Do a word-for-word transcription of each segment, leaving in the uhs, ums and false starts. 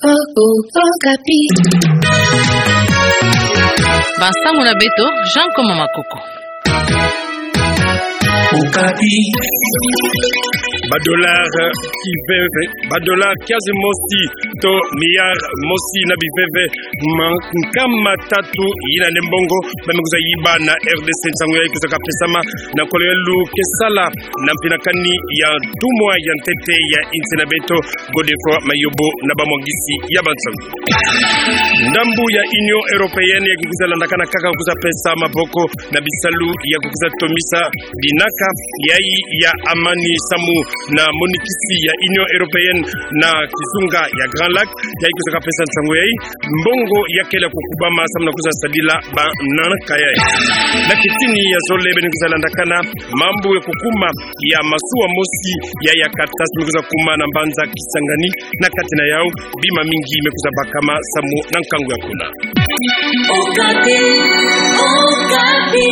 Oh, oh, Okapi. Bansangu na beto, Jean Koma Makoko. Okapi. Ba dollar kiveve, ba dollar kiazi mosi to milliard mosi na biveve ma nkama tatu yina nde mbongo ba me kwiza yiba na R D C. Nsangu yayi kwiza kapesama na nkolo ya lukesala na mpinakani ya ntumwa ya ntete ya insi na beto, Godefroid Mayobo, na bamwangisi ya bansangu. Ndambu ya Union Européenne ya kukwiza landakana kaka kukwiza pesa maboko na bisalu ya kukwiza tomisa binaka yayi ya amani samu na monikisi ya Union Européenne na kizunga ya Grand Lac, yayi kwiza kapesa nsangu yayi mbongo ya kele kukubama samu na kwiza sadila banaka yayi. Na kitini ya zole beno kwiza landakana mambu ya kukuma ya masuwa mosi ya, ya katasi me kwiza kuma na mbanza Kisangani, na kati na yau bima mingi me kwiza bakama samu na nkangu ya kuna. Okapi, Okapi.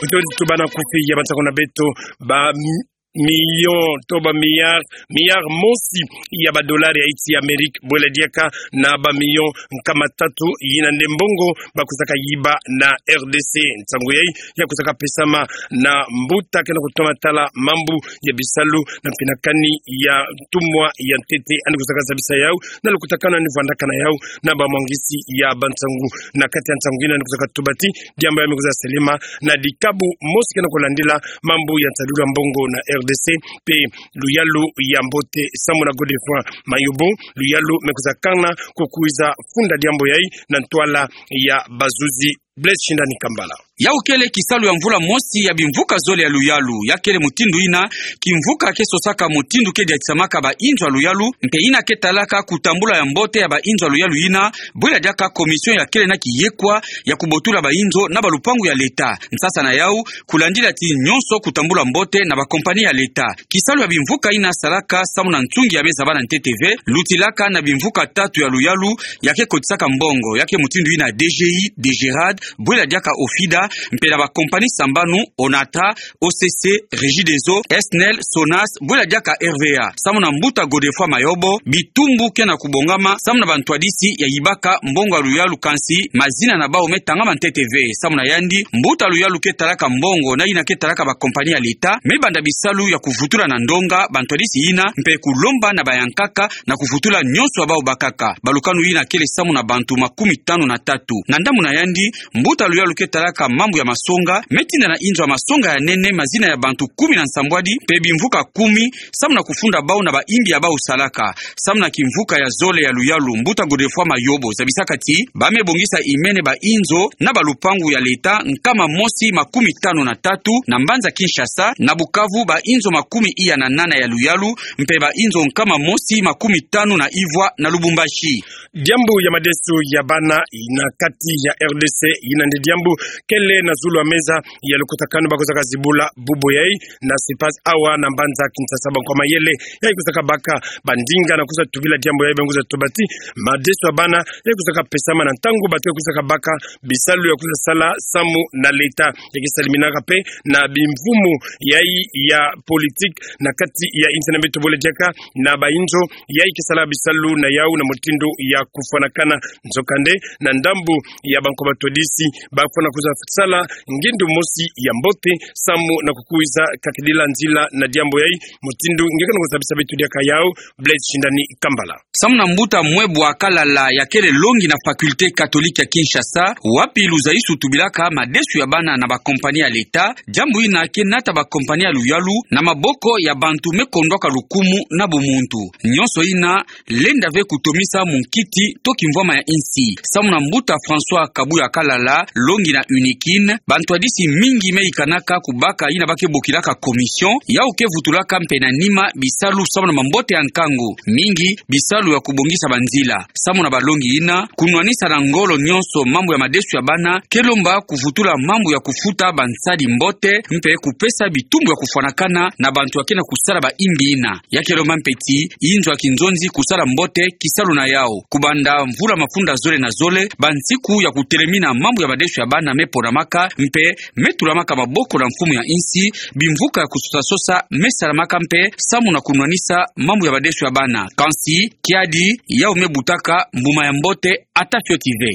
Utodi tubana kufi ya bansangu na beto, ba mi-, million to ba milliard, milliard mosi ya ba dollar ya insi ya Amérique, bwela diaka na ba million nkama tatu yina nde mbongo ba kwizaka yiba na R D C. Nsangu yayi ya kwizaka pesama na mbuta kena kutoma tala mambu ya bisalu na mpinakani ya ntumwa ya ntete, yandi kwizaka zabisa yau na lukutakanu yandi vwandaka na yau na bamwangisi ya bansangu. Na kati ya nsangu yina yandi kwizaka tuba ti diambu ya me kwiza selema na dikabu mosi kena kulandila mambu ya nsadulu ya mbongo na R D C mpe luyalu ya mbote samu na Godefroid Mayobo, luyalu me kwiza kana kukwiza funda diambu yayi na ntwala ya bazuzi. Blaise Shindani Kambala. Yau kele kisalu ya mvula mosi ya bimvuka zole ya luyalu. Ya kele mutindu yina kimvuka ke sosaka mutindu ke diatisamaka ba inzo ya luyalu, mpe yina ke talaka kutambula ya mbote ya ba inzo ya luyalu yina, bwela diaka commission ya kele na kiyekwa ya kubotula ba inzo na ba lupangu ya leta. Nsasa na yau, kulandila ti nyonso kutambula mbote na ba compagnie ya leta. Kisalu ya bimvuka yina salaka samu na nsungi ya me zabana ntete ve, lutilaka na bimvuka tatu ya luyalu ya ke kotisaka mbongo, ya ke mutindu yina D G I, DGRAD, bwela diaka OFIDA, mpe na ba compagnie sambanu, Onatra, O C C, Regideso, SNEL, Sonas, bwela diaka R V A. Samu na mbuta Godefroid Mayobo, bitumbu kena kubongama samu na bantwadisi ya yibaka mbongo ya luyalu, kansi mazina na bau me tangama ntete ve. Samu na yandi, mbuta luyalu ke talaka mbongo na yina ke talaka ba compagnie ya leta me banda bisalu ya kuvutula na ndonga bantwadisi yina, mpe kulomba na bayankaka na kuvutula nyonso ya bau bakaka. Balukanu yina kele samu na bantu makumi tanu na tatu. Na ndambu na yandi, mbuta luyalu ke talaka mambu ya masonga me tinda na inzo ya masonga ya nene mazina ya bantu kumi na nsambwadi mpe bimvuka kumi, samu na kufunda bau na ba imbi ya bau salaka. Samu na kimvuka ya zole ya luyalu, mbuta Godefroid Mayobo zabisaka ti ba me bongisa imene ba inzo na ba lupangu ya leta nkama mosi makumi tanu na tatu na mbanza Kinshasa, na Bukavu ba inzo makumi iya na nana ya luyalu, mpe ba inzo nkama mosi makumi tanu na ivwa na Lubumbashi. Diambu ya madesu ya bana na kati ya R D C, yina nde diambu kele na zulu ya meza ya lukutakanu ba kwizaka zibula bubu yayi na Sipas awa na mbanza Kinshasa. Bankwa mayele yayi kwizaka baka bandinga na kwiza tubila diambu yayi, ba me kwiza tuba ti madesu ya bana yayi kwizaka pesama na ntangu bateyi kwizaka baka bisalu ya kwiza sala samu na leta. Ya ke saliminaka mpe na bimvumu yayi ya politique na kati ya insi na beto, bole diaka na ba inzo yayi ke sala bisalu na yau na mutindu ya kufwanakana. Nzokande, na ndambu ya bankwa batwadisi, bafwana kwiza sala ngindu mosi ya mbote samu na kukwiza kakidila nzila na diambu yayi, mutindu nge kena kuzabisa beto diaka yau. Blaise Shindani Kambala. Samu na mbuta Mwebwa Kalala, ya kele longi na faculté catholique ya Kinshasa, wapi luzaisu tubilaka madesu ya bana na ba compagnie ya leta, diambu yina ke nata ba compagnie ya luyalu na maboko ya bantu me kondwaka lukumu na bumuntu. Nyonso yina lenda ve kutomisa munkiti to kimvwama ya insi. Samu na mbuta François Kabuya Kalala, longi na UNIKIN, bantwadisi mingi me yikanaka kubaka yina ba ke bokilaka commission, yau ke vutulaka mpe na nima bisalu samu na mambote ya nkangu, mingi bisalu ya kubongisa banzila. Samu na balongi yina, kunwanisa na ngolo nyonso mambu ya madesu ya bana ke lomba kuvutula mambu ya kufuta bansadi mbote mpe kupesa bitumbu ya kufwanakana na bantu ya kena kusala ba imbi yina. Ya ke lomba mpe ti inzo ya kinzonzi kusala mbote kisalu na yau. Kubanda mvula mafunda zole na zole, bansiku ya kutelemina mambu ya badeso ya bana me ponamaka, mpe me tulamaka maboko na mfumu ya insi, bimvuka ya kusosa-sosa me salamaka mpe samu na kunwanisa mambu ya badeso ya bana. Kansi, kiadi, yau me butaka mbuma ya mbote, ata fioti ve.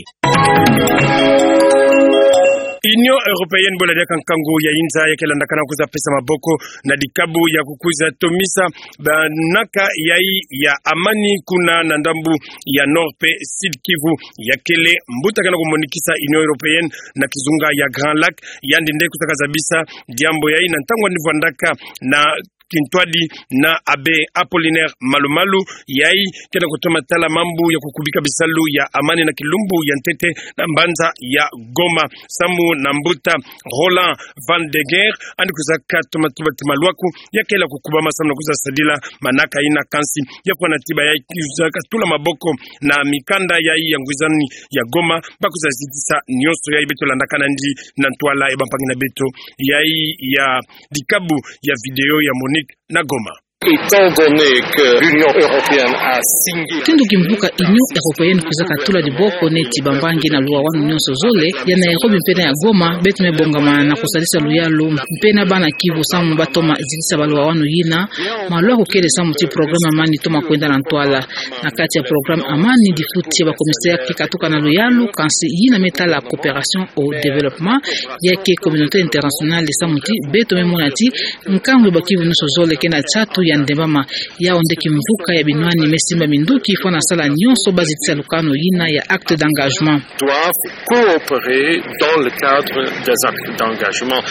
Union Européenne, bwela diaka nkangu ya inza ya ke landakana kwiza pesa maboko na dikabu ya kukwiza tomisa banaka yai ya amani kuna na ndambu ya Nord mpe Sud Kivu. Ya kele mbuta ke na kumonikisa Union Européenne na kizunga ya Grand Lac, yandi nde kwizaka zabisa diambu yai na ntangu yandi vwandaka na kintwadi na Abbé Apollinaire Malu-Malu, yai ke na kutoma tala mambu ya kukubika bisalu ya amani na kilumbu ya ntete na mbanza ya Goma. Samu na mbuta Roland Van de Geer, yandi kwizaka toma tiba ti maluaku ya kele kukubama samu na kwiza sadila manaka yina, kansi ya kuwa na tiba yai kwizaka tula maboko na mikanda yai ya ngwizani ya Goma, ba kwiza zitisa nionso yai. Beto landakana ndi na ntwala ya bampangi na beto yai ya dikabu ya video ya MONUC na Goma. Étant donné que l'Union européenne a signé... Mutindu kimvuka Union européenne kwizaka tula diboko neti bambangi na luwawanu nionso zole, ya Nairobi mpe na ya Goma, beto me bongama na kusalisa luyalu mpe na bana Kivu samu ba toma zitisa baluwawanu yina. Maluaku kele samu ti programme amani toma kwenda na ntwala. Na kati ya programme amani, difuti ya ba commissaire ke katuka na luyalu, kansi yina me tala coopération au développement, ya ke communauté internationale, samu ti beto me mona ti nkangu ya ba Kivu nionso zole ke na tiatu ya ndembama. Yau nde kimvuka ya binwani me simba minduki fwana sala nionso ba zitisa lukanu yina ya acte d'engagement. Doivent coopérer dans le cadre des actes d'engagement.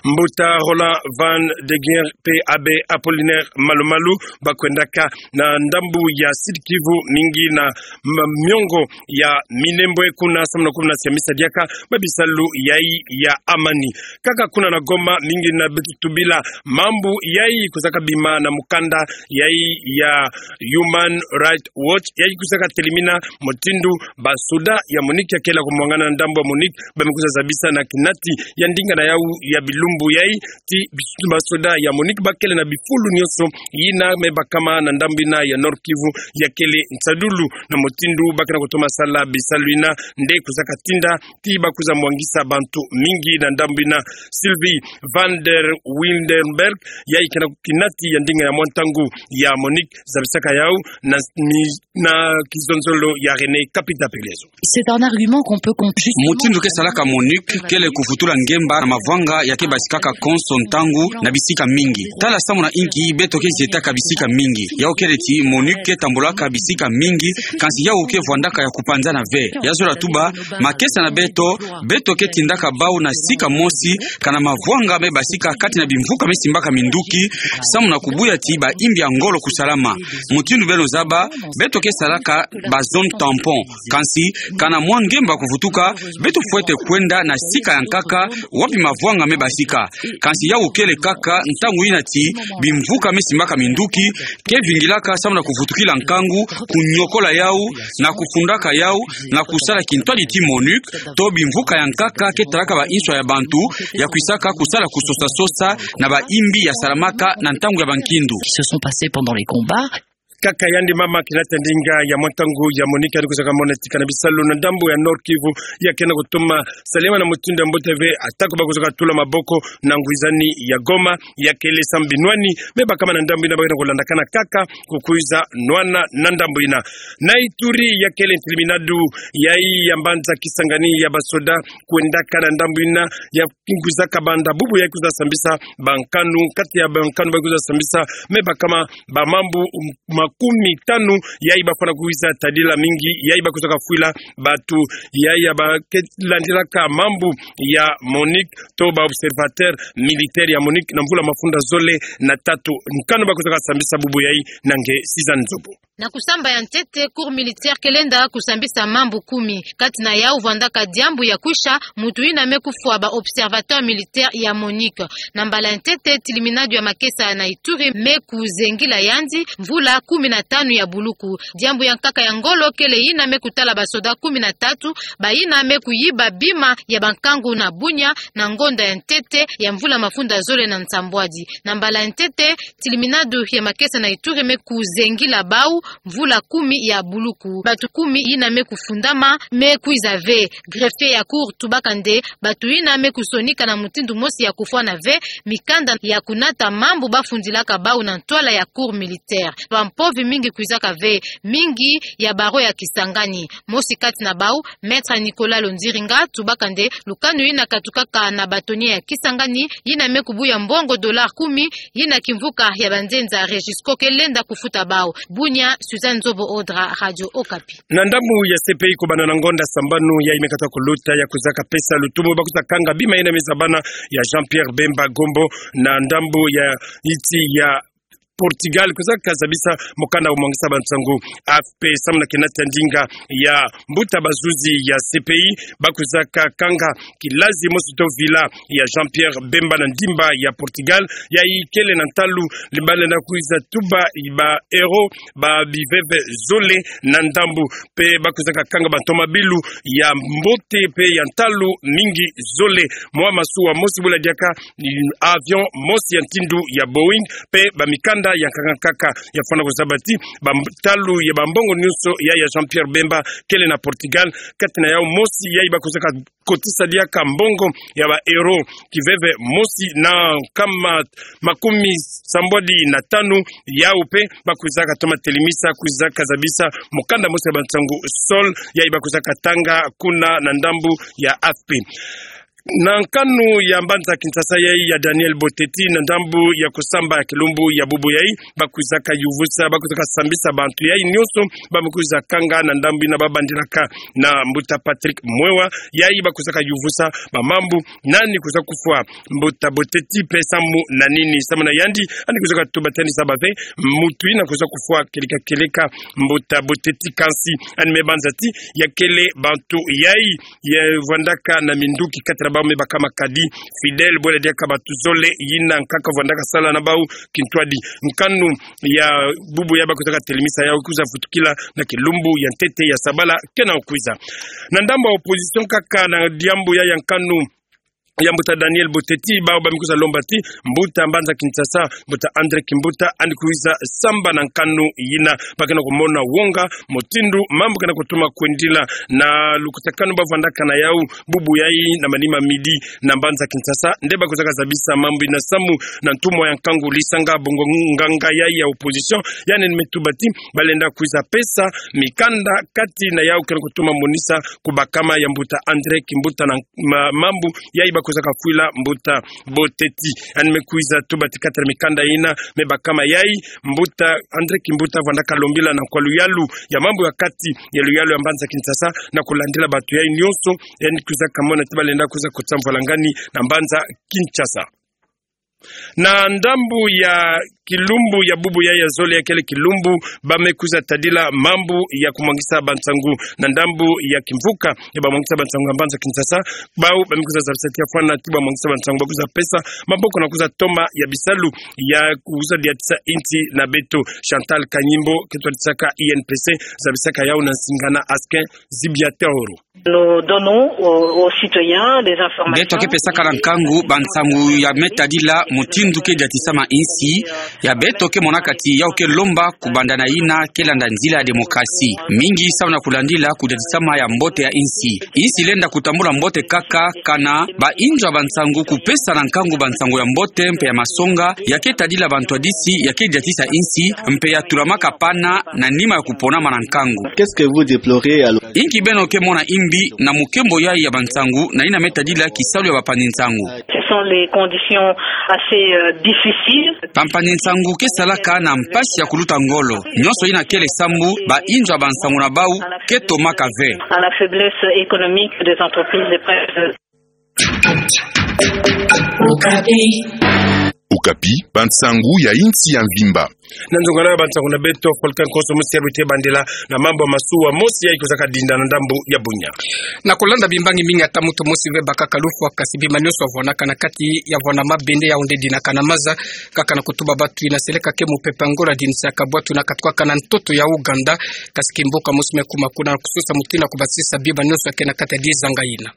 Mbuta Roland Van de Geer mpe Abbé Apollinaire Malu-Malu ba kwendaka na ndambu ya Sud Kivu mingi na ma-, miongo ya Minembwe kuna samu na kumisa misa diaka ba bisalu yai ya amani. Kaka kuna na Goma, mingi na beto tubila mambu yai kwizaka bima na mukanda yai ya Human Rights Watch, yai kwizaka telimina mutindu basoda ya MONUC ya kele kumwangana na ndambu ya MONUC ba me kwiza zabisa na kinati ya ndinga na yau ya bilumbu yai ti bis-, basoda ya MONUC ba kele na bifulu nionso yina me bakama na ndambu yina ya Nord Kivu ya kele nsadulu na mutindu ba ke na kutoma sala bisalu yina nde kwizaka tinda ti ba kwiza mwangisa bantu mingi na ndambu yina. Sylvie van der Wildenberg, yai ke na kinati ya ndinga ya mwa ntangu ya MONUC, zabisaka yau na, ni, na kizonzolo ya René Kapita Pelezo. C'est un argument qu'on peut compte justement... Mutindu ke salaka MONUC kele kuvutula ngemba na mavwanga ya ke basikaka konso ntangu na bisika mingi. Tala samu na inki beto ke zietaka bisika mingi. Yau kele ti MONUC ke tambulaka bisika mingi, kansi yau ke vwandaka ya kupanzana ve. Ya zola tuba, makesa na beto, beto ke tindaka bau na sika mosi, kana mavwanga me basika kati na bimvuka me simbaka minduki, samu na kubuya ti bayimbi ya ngolo kusalama. Mutindu beno zaba, beto ke salaka ba zone tampon. Kansi, kana mwa ngemba kuvutuka, beto fwete kwenda na sika ya nkaka, wapi mavwanga me basika. Kansi yau kele kaka ntangu yina ti bimvuka me simbaka minduki ke vingilaka samu na kuvutukila nkangu, kunyokola yau, na kufundaka yau, na kusala kintwadi ti MONUC, to bimvuka ya nkaka ke talaka ba inswa ya bantu, ya kwisaka kusala kusosa-sosa na bayimbi ya salamaka na ntangu ya bankindu. Qui se sont passés pendant les combats. Kaka yandi mama kinati ya ndinga ya mwa ntangu ya MONUC yandi kwizaka mona ti kana bisalu na ndambu ya Nord Kivu ya ke na kutoma salema na mutindu ya mbote ve, atako ba kwizaka tula maboko na ngwizani ya Goma, ya kele samu binwani me bakama na ndambu yina ba ke na kulandakana kaka kukwiza nwana na ndambu yina. Na Ituri, ya kele ntiliminadu yai ya mbanza Kisangani ya basoda kwendaka na ndambu yina ya kwizaka banda bubu yai kwiza sambisa bankanu, kati ya bankanu ba kwiza sambisa me bakama bamambu makumitanu yai ba fwana kwiza tadila, mingi yai ba kwizaka fwila bantu yai ya ba ke landilaka mambu ya MONUC to ba observateur militaire ya MONUC na mvula mafunda zole na tatu. Nkanu ba kwizaka sambisa bubu yai na nge Sizani Nzobo. Na kusamba ya ntete, cours militaire ke lenda kusambisa mambu kumi. Kati na yau vwandaka diambu ya kwisha, mutu yina me kufwa ba observateur militaire ya MONUC. Na mbala ya ntete, tiliminadu ya makesa na Ituri me kuzengila yandi, mvula kumi na tanu ya buluku. Diambu ya nkaka ya ngolo kele yina me kutala basoda kumi na tatu, bayina me kuyiba bima ya bankangu na Bunia, na ngonda ya ntete ya mvula mafunda zole na nsambwadi. Na mbala ya ntete, tiliminadu ya makesa na Ituri me kuzengila bau mvula kumi ya buluku. Batu kumi yina me kufundama me kwiza ve. Greffier ya cour tubaka nde batu yina me kusonika na mutindu mosi ya kufwana ve mikanda ya kunata mambu bafundilaka bau na ntwala ya cour militaire. Bampovi mingi kwizaka ve, mingi ya barreau ya Kisangani. Mosi kati na bau, Maître Nicolas Londiringa, tubaka nde lukanu yina katukaka na bâtonnier ya Kisangani, yina me kubuya mbongo dollar kumi, yina kimvuka ya banzenza Regisco ke lenda kufuta bau. Bunia, Suzanne Nzobo Odra, Radio Okapi. Na ndambu ya C P I, kubanda na ngonda sambanu yayi me kata kuluta, ya kwizaka pesa lutumu ba kwiza kanga bima yina me zabana ya Jean-Pierre Bemba Gombo na ndambu ya insi ya Portugal, kwizaka zabisa mukanda wa mwangisa bansangu. A F P samu na kinata ndinga ya mbuta bazuzi ya C P I, ba kwizaka kanga kilazi mosi to villa ya Jean-Pierre Bemba na ndimba ya Portugal, yayi kele na ntalu, li balenda kwiza tuba ba héros ba biveve zole na ndambu. Mpe ba kwizaka kanga bantomabilu ya mbote mpe ya ntalu mingi zole. Mwa masuwa mosi bula diaka ni avion mosi ya ntindu ya Boeing, mpe bamikanda ya nkaka nkaka. Ya fwana kuzaba ti bantalu ya bambongo nyonso ya, ya Jean-Pierre Bemba kele na Portugal, kati na yau mosi yayi ba kwizaka kotisa diaka mbongo ya ba héros kiveve mosi na nkama makumi sambwadi na tanu. Yau mpe ba kwizaka toma telemisa, kwizaka zabisa mukanda mosi ya bansangu Sol, yayi ba kwizaka tanga kuna na ndambu ya A F P. Na nkanu ya mbanza Kinshasa yayi ya Daniel Boteti, na ndambu ya kusamba ya kilumbu ya bubu yayi, ba kwizaka yuvusa, ba kwizaka sambisa bantu yayi nyonso ba me kwiza kanga na ndambu yina ba bandilaka na mbuta Patrick Mwewa, yayi ba kwizaka yuvusa bamambu nani kwiza kufwa. Mbuta Boteti mpe samu na nini? Samu na yandi, yandi kwizaka tuba ti yandi zaba ve muntu yina kwiza kufwa kieleka kieleka mbuta Boteti, kansi yandi me banza ti ya kele bantu yayi ya vwandaka na minduki kati na bau me bakama kadi fidèle, bwela diaka bantu zole yina nkaka vwandaka sala na bau kintwadi. Nkanu ya bubu yayi ba kwizaka telemisa yau kwiza vutukila na kilumbu ya ntete ya sabala kena kwiza. Na ndambu ya opposition kaka, na diambu ya, ya nkanu ya mbuta Daniel Boteti, bau ba me kwiza lomba ti mbuta mbanza Kinshasa, mbuta André Kimbuta, yandi kwiza samba na nkanu yina, ba kena kumona wonga mutindu mambu kena kutoma kwendila. Na lukutakanu ba vwandaka na yau bubu yayi na manima midi na mbanza Kinshasa, nde ba kwizaka zabisa mambu yina samu na ntumwa ya nkangu Lisanga Bungu, nganga yayi ya opposition, yandi me tuba ti balenda kwiza pesa mikanda kati na yau kena kutoma monisa ku bakama ya mbuta André Kimbuta na ma-, mambu yayi ba kwizaka fwila mbuta Boteti. Yandi me kwiza tuba ti kati na mikanda yina me bakama yayi, mbuta André Kimbuta vwandaka lombila na nkwa luyalu ya mambu ya kati ya luyalu ya mbanza Kinshasa na kulandila bantu yayi nyonso, yandi kwizaka mona ti balenda kwiza kotisa mvwalangani na mbanza Kinshasa. Na ndambu ya kilumbu ya bubu yayi ya zole, ya kele kilumbu ba me kwiza tadila mambu ya kumwangisa bansangu. Na ndambu ya kimvuka ya bamwangisa bansangu ya mbanza Kinshasa, bau ba me kwiza zabisa ti ya fwana ti bamwangisa bansangu ba kwiza pesa maboko na kwiza toma ya bisalu ya kwiza diatisa insi na beto. Chantal Kanyimbo, ke twadisaka I N P C, zabisaka yau na nsinga na Askin Zibiatoro. Nous donnons aux, aux citoyens des informations. Beto ke pesaka na nkangu bansangu ya me tadila mutindu ke diatisama insi. Ya beto ke monaka ti yau ke lomba kubanda na yina ke landa nzila ya demokrasi. Mingi samu na kulandila kudiatisama ya mbote ya insi. Insi lenda kutambula mbote kaka kana ba inzo ya bansangu kupesa na nkangu bansangu ya mbote mpe ya masonga, ya ke tadila bantwadisi, ya ke diatisa insi, mpe ya tulamaka pana na nima ya kuponama na nkangu. Qu'est-ce que vous déplorez alors ? Inki beno ke mona imbi na mukembo yayi ya bansangu na yina me tadila kisalu ya bampangi-nsangu ? Ce sont les conditions assez, euh, difficiles. Bampangi-nsangu ke salaka na mpasi ya kuluta ngolo. Nyonso yina kele sambu ba inzo ya bansangu na bau ke tomaka ve. À la faiblesse économique des entreprises de presse. Okapi, bansangu ya insi ya mvimba. Na nzunga na yo, bansangu na beto, Volcan Konso mosi ya bete bandela na mambu ya masuwa mosi yayi kwizaka dinda na ndambu ya Bunia. Na kulanda bimbangi mingi, ata muntu mosi ve bakaka lufwa, kasi bima nionso yavwanaka na kati ya vwanda mabende, yau nde dinaka na maza, kaka na kutuba bantu yina seleka ke mupepe ya Angola, dinisaka bwatu na katukaka na ntoto ya Uganda, kasi kimbuka mosi me kuma kuna na kusosa mutindu ya kubasisa bima nionso ya ke na kati ya dizanga yina.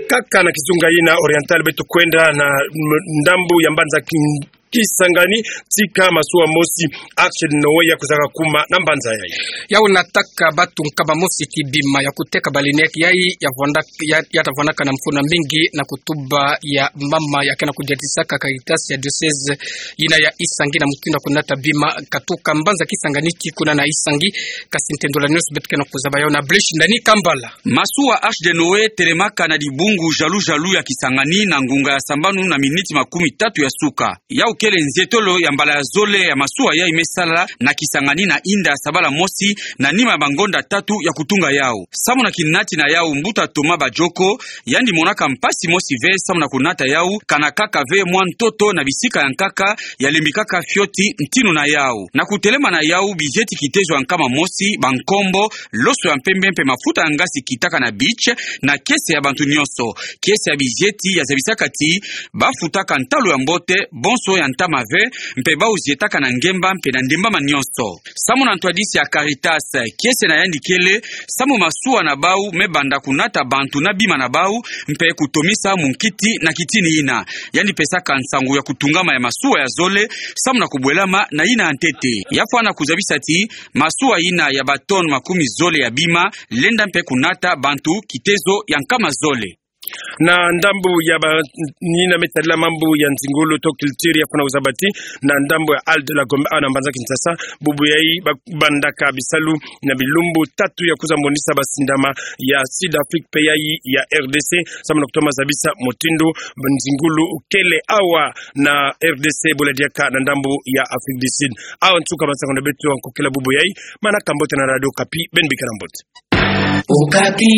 Kaka na kizunga yina Oriental, beto kwenda na m-, ndambu ya mbanza Kin-, Kisangani, tika masuwa mosi Arche de Noé ya kwizaka kuma na mbanza yayi. Yau nataka bantu nkama mosi kibima ya kuteka baleine yayi, ya vwanda-, ya, ya ta vwandaka na mfunu ya mingi na kutuba ya mama ya ke na kudiatisaka Caritas ya diocèse yina ya Isangi na mutindu ya kunata bima katuka mbanza Kisangani tii kuna na Isangi, kasi ntendula nionso beto ke na kuzaba yau na Blaise Ndani Kambala. Masuwa Arche de Noé telemaka na dibungu Jalu Jalu ya Kisangani na ngunga ya sambanu na miniti makumi tatu ya suka. Yau kele nzietolo ya mbala ya zole ya masuwa yayi me sala na Kisangani na Inda sabala mosi, na nima ya bangonda tatu ya kutunga yau. Samu na kinati na yau, mbuta Thomas Badjoko, yandi monaka mpasi mosi ve samu na kunata yau, kana kaka ve mwa ntoto na bisika ya nkaka, ya lembikaka fioti ntinu na yau. Na kutelema na yau, bizieti kitezo ya nkama mosi, bankombo, loso ya mpembe mpe mafuta ya ngasi kitaka na beach, na kiese ya bantu nionso. Kiese ya bizieti ya zabisaka ti bafutaka ntalu ya mbote, bonso ya ntama ve, mpe bau zietaka na ngemba mpe na ndembama nionso. Samu na ntwadisi ya Caritas, kiese na yandi kele samu masuwa na bau me banda kunata bantu na bima na bau, mpe kutomisa munkiti na kitini yina. Yandi pesaka nsangu ya kutungama ya masuwa ya zole, samu na kubwelama na yina ya ntete. Ya fwana kuzabisa ti masuwa yina ya ba tonnes makumi zole ya bima lenda mpe kunata bantu kitezo ya nkama zole. Na ndambu ya ba-, yina me tadila mambu ya nzingulu to culture, ya fwana kuzaba ti na ndambu ya Halle de la Gombe, awa na mbanza Kinshasa, bubu yayi ba-, bandaka bisalu na bilumbu tatu ya kwiza monisa basindama ya Sud-Afrique mpe yayi ya R D C, samu na kutoma zabisa mutindu nzingulu kele awa na R D C, bula diaka na ndambu ya Afrique du Sud. Awa nsuka bansangu na beto ya nkokila bubu yayi, manaka mbote na Radio Okapi, beno bikana mbote. Okapi.